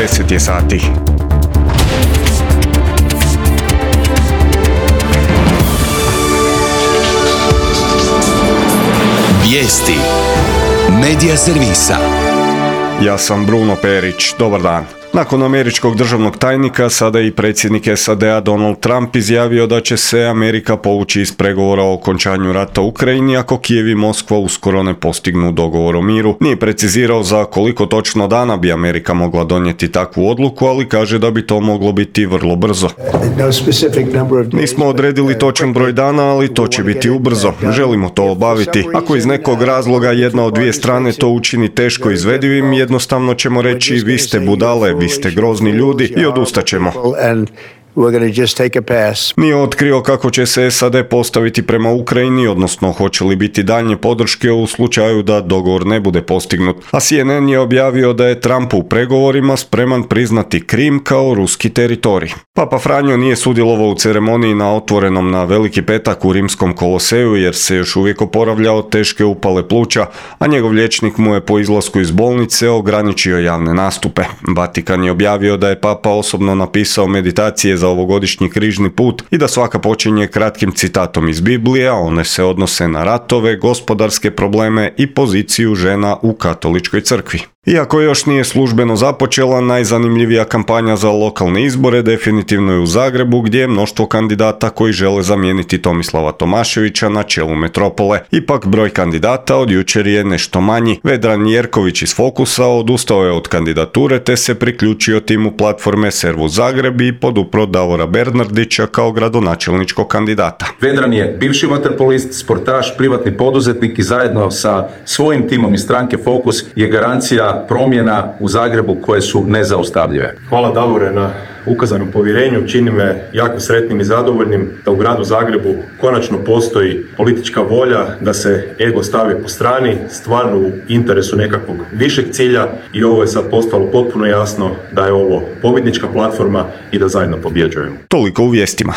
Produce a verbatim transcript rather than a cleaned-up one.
deset je sati. Vijesti Medija servisa. Ja sam Bruno Perić, dobar dan. Nakon američkog državnog tajnika, sada i predsjednik S A D-a Donald Trump izjavio da će se Amerika povući iz pregovora o okončanju rata u Ukrajini ako Kijev i Moskva uskoro ne postignu dogovor o miru. Nije precizirao za koliko točno dana bi Amerika mogla donijeti takvu odluku, ali kaže da bi to moglo biti vrlo brzo. Nismo odredili točan broj dana, ali to će biti ubrzo. Želimo to obaviti. Ako iz nekog razloga jedna od dvije strane to učini teško izvedivim, jednostavno ćemo reći vi ste budale, vi ste grozni ljudi i odustaćemo. Nije otkrio kako će se S A D postaviti prema Ukrajini, odnosno hoće li biti daljnje podrške u slučaju da dogovor ne bude postignut. A C N N je objavio da je Trump u pregovorima spreman priznati Krim kao ruski teritorij. Papa Franjo nije sudjelovao u ceremoniji na otvorenom na Veliki petak u Rimskom koloseju jer se još uvijek oporavlja od teške upale pluća, a njegov liječnik mu je po izlasku iz bolnice ograničio javne nastupe. Vatikan je objavio da je Papa osobno napisao meditacije za ovogodišnji križni put i da svaka počinje kratkim citatom iz Biblije, a one se odnose na ratove, gospodarske probleme i poziciju žena u katoličkoj crkvi. Iako još nije službeno započela, najzanimljivija kampanja za lokalne izbore definitivno je u Zagrebu, gdje je mnoštvo kandidata koji žele zamijeniti Tomislava Tomaševića na čelu metropole. Ipak broj kandidata od jučer je nešto manji. Vedran Jerković iz Fokusa odustao je od kandidature te se priključio timu platforme Servus Zagreb i podupro Davora Bernardića kao gradonačelničkog kandidata. Vedran je bivši vaterpolist, sportaš, privatni poduzetnik i zajedno sa svojim timom iz stranke Fokus je garancija promjena u Zagrebu koje su nezaustavljive. Hvala Davore na ukazanom povjerenju, čini me jako sretnim i zadovoljnim da u gradu Zagrebu konačno postoji politička volja da se ego stavi po strani, stvarno u interesu nekakvog višeg cilja i ovo je sad postalo potpuno jasno da je ovo pobjednička platforma i da zajedno pobjeđujemo. Toliko u vijestima.